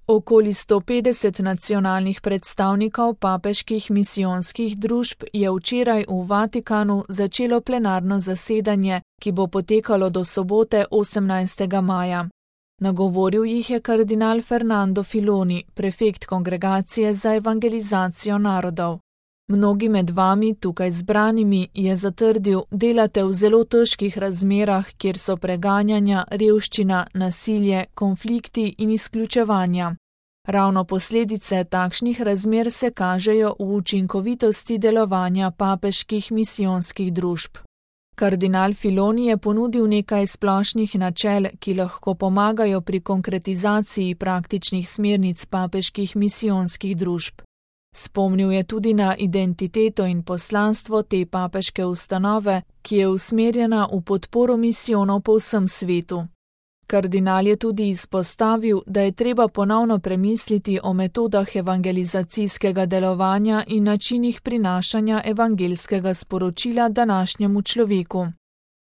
Okoli 150 nacionalnih predstavnikov papeških misijonskih družb je včeraj v Vatikanu začelo plenarno zasedanje, ki bo potekalo do sobote 18. maja. Nagovoril jih je kardinal Fernando Filoni, prefekt Kongregacije za evangelizacijo narodov. Mnogi med vami, tukaj zbranimi, je zatrdil, delate v zelo težkih razmerah, kjer so preganjanja, revščina, nasilje, konflikti in izključevanja. Ravno posledice takšnih razmer se kažejo v učinkovitosti delovanja papeških misijonskih družb. Kardinal Filoni je ponudil nekaj splošnih načel, ki lahko pomagajo pri konkretizaciji praktičnih smernic papeških misijonskih družb. Spomnil je tudi na identiteto in poslanstvo te papeške ustanove, ki je usmerjena v podporo misijonov po vsem svetu. Kardinal je tudi izpostavil, da je treba ponovno premisliti o metodah evangelizacijskega delovanja in načinih prinašanja evangelskega sporočila današnjemu človeku.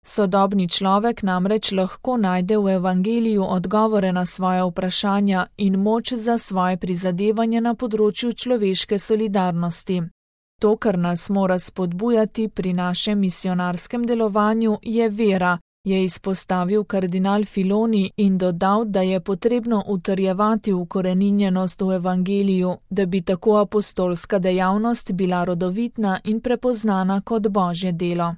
Sodobni človek namreč lahko najde v evangeliju odgovore na svoje vprašanja in moč za svoje prizadevanje na področju človeške solidarnosti. To, kar nas mora spodbujati pri našem misionarskem delovanju, je vera, je izpostavil kardinal Filoni in dodal, da je potrebno utrjevati ukoreninjenost v evangeliju, da bi tako apostolska dejavnost bila rodovitna in prepoznana kot Božje delo.